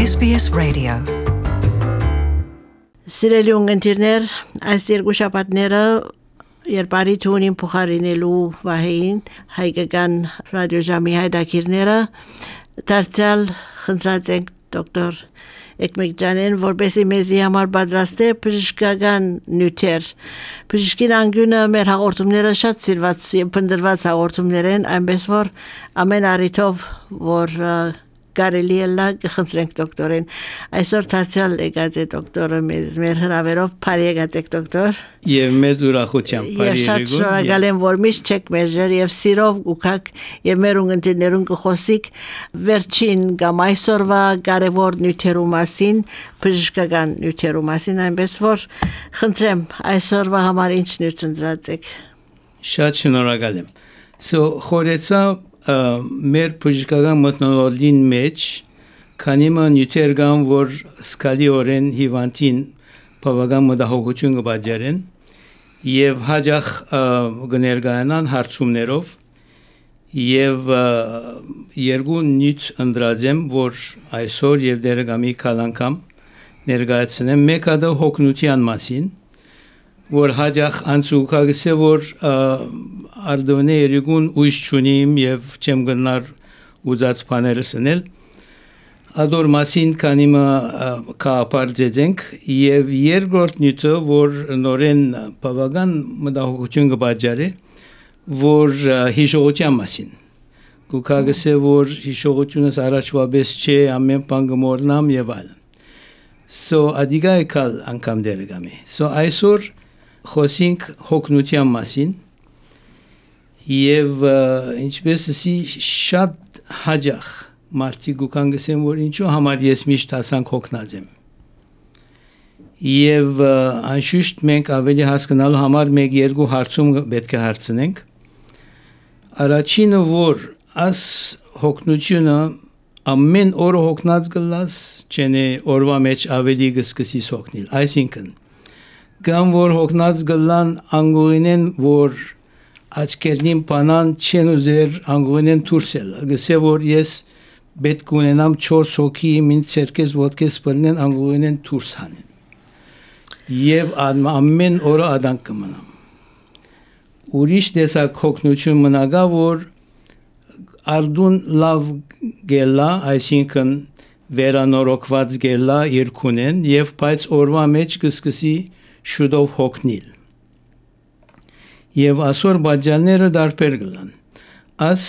SBS Radio. Սիրելի ունգընտիրներ, այս երկու շաբաթները երբարի թունին փոխարինելու վահեին հայկական ռադիոժամի հայտակիրները դարձյալ խնդրած ենք դոկտոր Էկմեկջանեն, որպեսզի մեզի համար պատրաստե բժշկական նյութեր։ Բժշկին անգյունը մեր հաղորդումները շատ սիրված եւ փնտրված հաղորդումներ են, այնպես որ ամեն առիթով որ կարելի է խնդրենք դոկտորին։ Այսօր դարձյալ եկած է դոկտորը մեր հրավերով բարի եկած դոկտոր։ Եվ մեծ ուրախությամբ բարի եկեք։ Շատ շնորհակալ եմ, որ միշտ չեք մեջեր եւ սիրով ուքակ եւ մեր ունգընտերներուն կխոսիկ վերջին կամ այսօրվա կարևոր նյութերու մասին, բժշկական նյութերու մասին, այնպես որ խնդրեմ այսօրվա համար ինչ նյութ ընտրած եք։ Շատ շնորհակալ եմ։ Խորեցա մեր բժշկական մթնոլորտին մեջ քանի նյութեր կան, որ սկալիորեն հիվանդին բավական մտահոգություն կպատճառեն եւ հաջող կներկայանան հարցումներով եւ երկու նյութ ընտրած եմ, որ այսօր եւ դերգամի կալանքամ ներկայացնեմ։ Մեկը դա հոգնության մասին, որ հաջող անցուկագսե որ արդոնե երգուն ուժ չունիմ եւ չեմ գնար ուզած բաները սնել ադոր մասին կանիմը կապար ձեզենք եւ երկրորդ նյութը որ նորեն բավական մտահոգություն կպատճառի որ հիշողության մասին կուկագսե որ հիշողությունս առաջվաբես չէ ամեն բան կմոռնամ եւ այլն ադիգայքալ անգամ դերգամի այսօր խոսենք հոգնության մասին եւ ինչպես ասի շատ հաջող մարդիկ կան գսեն որ ինչու համար ես միշտ հասանք հոգնած եմ եւ անշուշտ մենք ավելի հասկանալու համար մեկ երկու հարցում պետք է հարցնենք առաջինը որ աս հոգնությունը ամեն օր հոգնած գլաս չենե օրվա մեջ ավելի գսկսի հոգնել այսինքն կամ որ հոգնած գլան անգորինեն որ աչքերնին բանան չեն ուզեր անգորինեն դուրսել գսե որ ես պետք ունենամ 4 հոգի մին ցերկես ոդկես բռնեն անգորինեն դուրս հանեն եւ ամեն օրը ադանք կմնամ ուրիշ տեսակ հոգնություն մնագա որ արդուն լավ գելա այսինքն վերանորոգված գելա երկունեն եւ բայց օրվա մեջ կսկսի շուտով հոգնել եւ ասոր բաժանները դարբեր գլան աս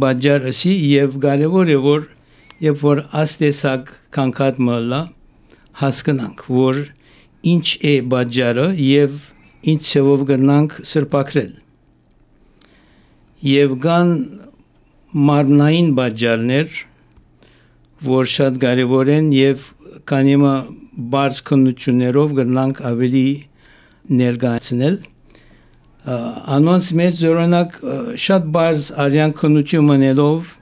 բաժարսի եւ կարեւոր է որ երբ որ աստեսակ կանգատ մլա հասկանանք որ ինչ է բաժարը եւ ինչ ծավով գնանք սրբակրել եւ կան մարմնային բաժարներ որ շատ կարեւոր են եւ կանիմը բարձ քննություններով գնանք ավելի ներկայացնել անոնց մեջ օրինակ շատ բարձ արյան քննություն մնելով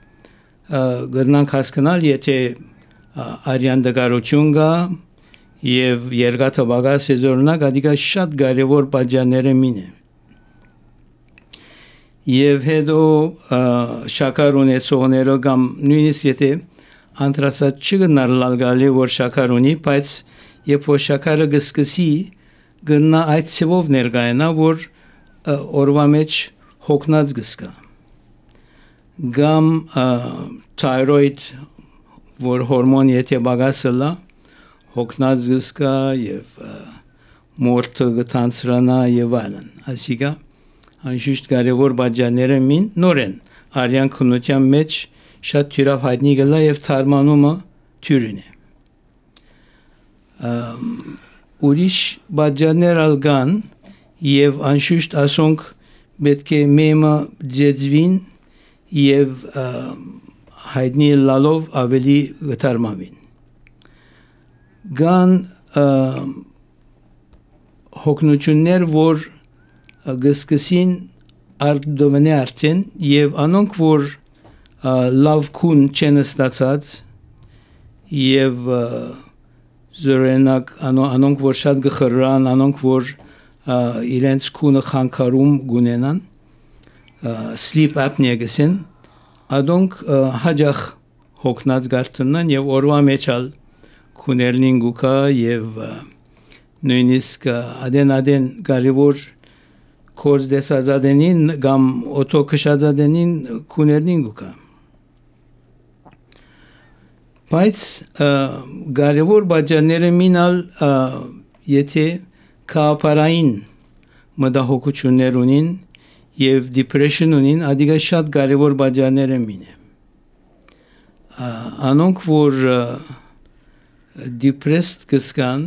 գնանք հասկանալ եթե արյան դգարություն կա եւ երկաթը բագաս օրինակ ադիգա շատ կարեւոր բաժանները մինը եւ հետո շաքար ունեցողները կամ նույնիսկ եթե անտրասած չգնար լալգալի որ շաքար ունի բայց երբ որ շաքարը գսկսի գնա այդ ծավով ներկայանա որ օրվա մեջ հոգնած գսկա գամ թայրոիդ որ հորմոն եթե բագասլա հոգնած գսկա եւ մորթը գտանցրանա եւ այլն ասիկա անշուշտ կարեւոր բաժանները մին նորեն արյան քննության մեջ շատ թյուրավ հայտնի գլա եւ թարմանումը թյուրին է ուրիշ բաժաններ ալգան եւ անշուշտ ասոնք պետք է մեմը ձեզվին եւ հայտնի լալով ավելի գտարմամին գան հոգնություններ որ գսկսին արդովնե արդեն եւ անոնք որ լավ քուն չեն ստացած եւ զորենակ անոնք որ շատ գխրան անոնք որ իրենց քունը խանգարում գունենան sleep apnea գսեն Adonk hajach հոգնած գարտունան եւ օրվա մեջ ալ քուներնին գուկա եւ նույնիսկ adեն կարևոր կորձ դեսազադենին կամ օտոքշազադենին քուներնին գուկա բայց կարևոր բաժանները մինալ եթե կապարային մտահոգություններ ունին եւ depression ունին ադիգա շատ կարևոր բաժանները մինը անոնք որ depressed կսկան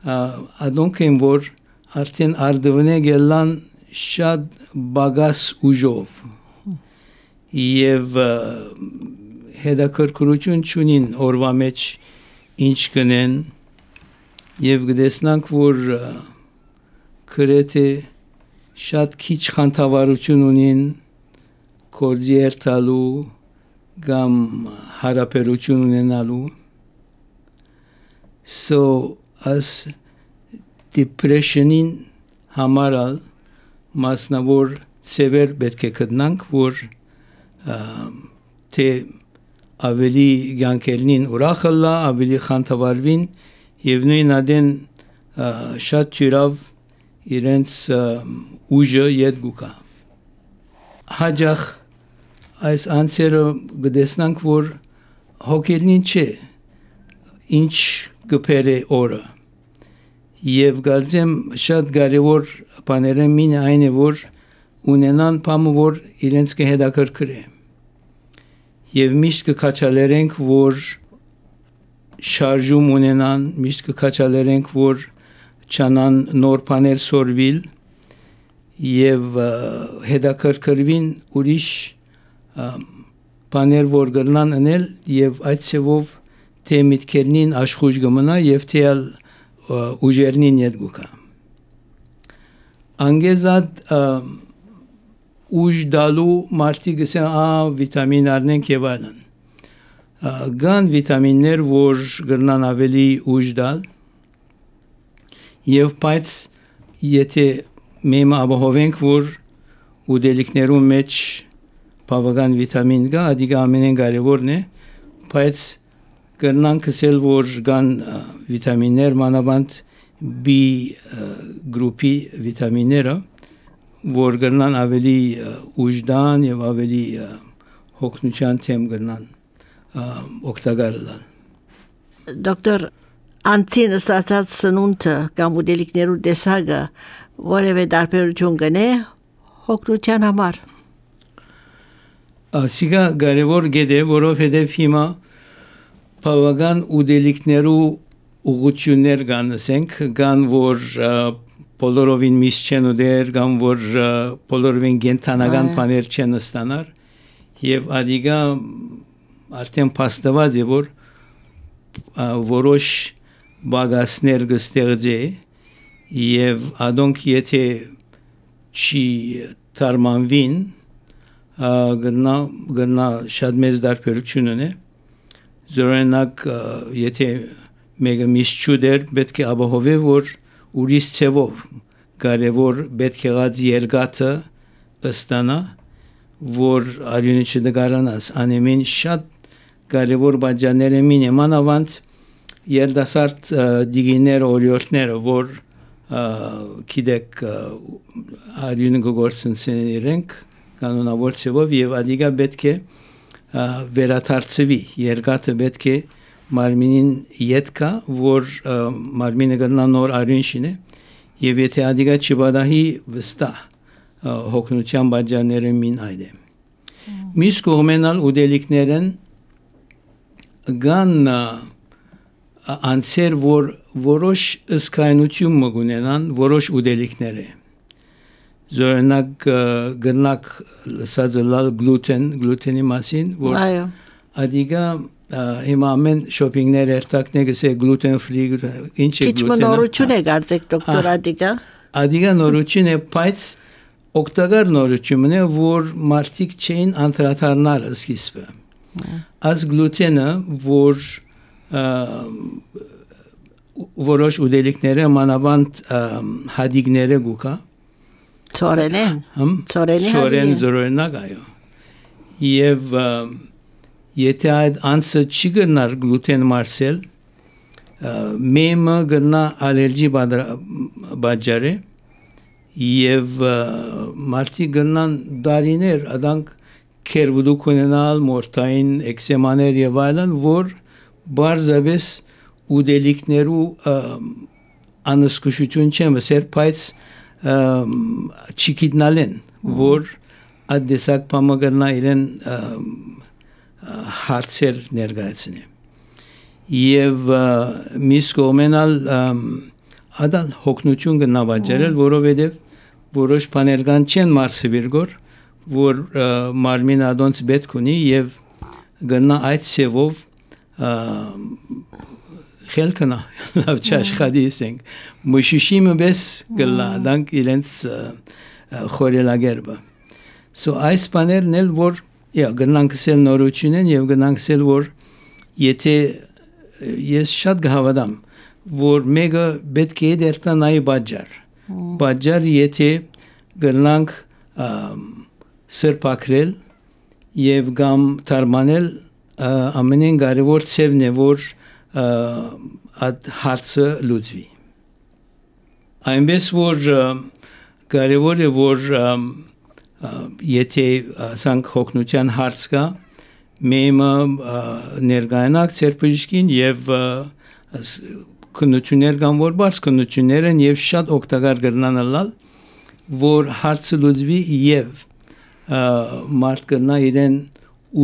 անոնք են որ արդեն արդվնե գելան շատ բագաս ուժով եւ հետաքրքրություն չունին օրվա մեջ ինչ կնեն եւ գտեսնանք որ քրեթե շատ քիչ խանդավառություն ունին կորձի երթալու կամ հարաբերություն ունենալու so as depression-ին համարալ մասնավոր ծևեր պետք է գտնանք որ թե ավելի ցանկելին ուրախալա ավելի խանդավառվին եւ նույն adեն շատ թյուրավ իրենց ուժը ետ գուկա հաջախ այս անցերը գտեսնանք որ հոգելին չէ ինչ գբեր է օրը եւ գարձեմ շատ կարեւոր բաները մին այն է որ ունենան բամը որ իրենց կհետաքրքրի եւ միշտ կքաչալերենք որ շարժում ունենան միշտ կքաչալերենք որ չանան նոր բաներ սորվիլ եւ հետաքրքրվին ուրիշ բաներ որ գտնան անել եւ այդ ծավով թե միտքերնին աշխուժ գմնա եւ թե ուժերնին յետգուկա անգեզად ուժ դալու մարդիկ ասեն վիտամին առնենք եւ այլն կան վիտամիններ որ գտնան ավելի ուժ դալ եւ բայց եթե մենք ապահովենք որ ուդելիքներում մեջ բավական վիտամին կա ադիգա ամենեն կարևորն է բայց կրնանք ասել որ կան վիտամիններ մանավանդ B գրուպի վիտամինները որ կրնան ավելի ուժդան եւ ավելի հոգնության թեմ կրնան օգտակար լան դոկտոր Անցին ստացած սնունդը կամ ուտելիքներու տեսակը որևէ տարբերություն կնե հոգնության համար Ասիգա կարևոր գեդե որովհետև հիմա բավական ուտելիքներու ուղղություններ կան ասենք կան որ բոլորովին միշտ չեն ուտեր կամ որ բոլորովին գենթանական բաներ չեն ստանար եւ ադիգա արդեն փաստված է որ որոշ բագասներ կստեղծի եւ adonk եթե չի թարմանվին գնա շատ մեծ դարբերություն ունի զորենակ եթե մեկը միշտ չուդեր պետք է ապահովի որ ուրիշ ծևով կարևոր պետք եղած երգացը ստանա որ արյունը չդգարանաս անեմին շատ կարևոր բաժաններ են մանավանդ երդասարդ դիգիներ օրիորդները որ գիտեք արյունը գործընծեն իրենք կանոնավոր ծևով եւ ադիգա պետք է վերաթարցվի երգատը պետք է մարմինին յետքա որ մարմինը գտնա նոր արյուն շինե եւ եթե ադիգա չբադահի վստահ հոգնության բաժանները մին այդե միս կողմենալ ուդելիքներն գան անցեր որ որոշ ըսկայնություն մգունենան որոշ ուդելիքները զորնակ գնակ լսածլալ գլուտենի մասին որ ադիգա հիմա ամեն շոփինգներ երթակներ գսե գլուտեն ֆրի ինչ է գլուտենը քիչ նորություն է գարցեք դոկտոր ադիգա նորություն է բայց օգտակար նորություն է որ մարդիկ չէին անդրադառնալ սկիզբը as գլուտենը որ որոշ ուդելիքները մանավանդ հադիգները գուկա ծորեն զորենակ այո եթե այդ անձը չի գնար գլուտեն մարսել, մեմը գնա ալերգի բաժարը եւ մարդիկ գնան դարիներ adank քերվուդուք ունենալ մորթային էքսեմաներ եւ այլն, որ բարձավես ուդելիկներու անսկուշություն չեմ սեր բայց չիքիտնալեն, որ ադեսակ պամագրնա իրեն հարցեր ներգայացնի։ Եվ միս կողմենալ ադալ հոգնություն գնավաջարել, որովհետև որոշ բաներ կան չեն մարսվիրգոր, որ մարմին ադոնց պետք ունի եւ գնա այդ սևով խելքնա լավ չաշխատիսենք մշիշիմը բես գլա դանք իրենց խորելագերբը so այս բաներն էլ որ գնանք սել նորությունեն եւ գնանք սել որ եթե ես շատ գհավադամ որ մեգա պետք է դերտանայի բաժար եթե գնանք սրբակրել եւ գամ թարմանել ամենեն կարևոր ծևն է որ այդ հարցը լուծվի այնպես որ կարևոր է որ եթե ասանք հոգնության հարց կա մեմը ներգայանակ ծերբժիշկին եւ քննություններ կան որ բարձ քննություններ են եւ շատ օգտակար կրնանալ որ հարցը լուծվի եւ մարդ կնա իրեն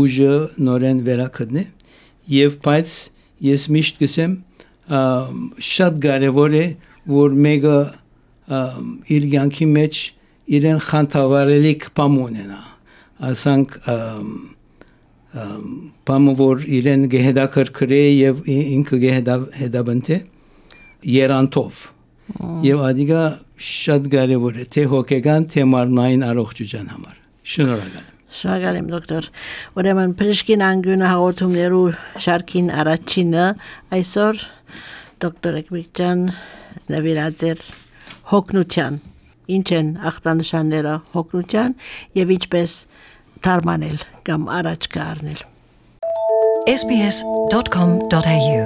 ուժը նորեն վերակդնի եւ բայց ես միշտ կսեմ շատ կարևոր է որ մեկը իր կյանքի մեջ իրեն խանդավառելիք բամ ունենա ասանք բամը որ իրեն գեհդակրկրե եւ ինքը գեհդաբնթե երանտով եւ ադիգա շատ կարևոր է թե հոգեգան թե մարմնային առողջության համար շնորհակալ Շնորհակալ եմ դոկտոր ուրեմն Պրիշկին անգյունը հաղորդումներու շարքին առաջինը այսօր դոկտոր Էկմիկյան նվիրած էր հոգնության ինչ են ախտանշանները հոգնության եւ ինչպես թարմանել կամ առաջ կառնել sbs.com.au